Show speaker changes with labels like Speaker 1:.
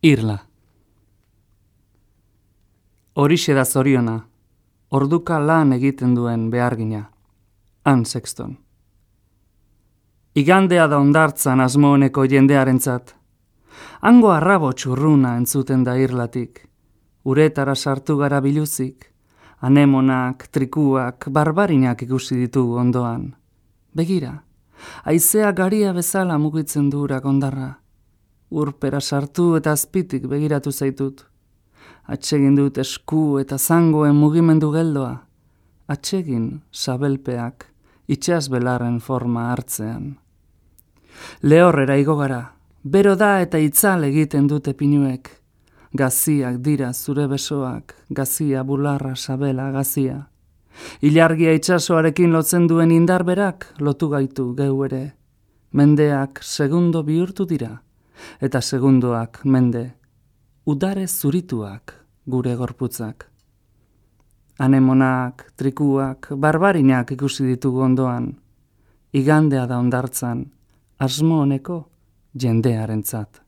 Speaker 1: Irla. Horixe da zoriona, orduka lan egiten duen behargina. Anne Sexton. Igandea da ondartzan asmo honeko jendearentzat. Hango arrabo txurruna entzuten da irlatik. Uretara sartu gara biluzik. Anemonak, trikuak, barbarinak ikusi ditugu ondoan. Begira, haizea garia bezala mugitzen du urak ondarra. Urpera sartu eta azpitik begiratu zaitut. Atsegin dut esku eta zangoen mugimendu geldoa. Atsegin sabelpeak itsasbelarren forma hartzean. Lehorrera igo gara. Bero da eta itzal egiten dute pinuek. Gaziak dira zure besoak, gazia, bularra, sabela, gazia. Ilargia itsasoarekin lotzen duen indarberak lotu gaitu geu ere. Mendeak segundo bihurtu dira, eta segundoak mende. Udare zurituak gure gorputzak. Anemonak, trikuak, barbarinak ikusi ditugu ondoan. Igandea da ondartzan, asmo honeko jendearentzat.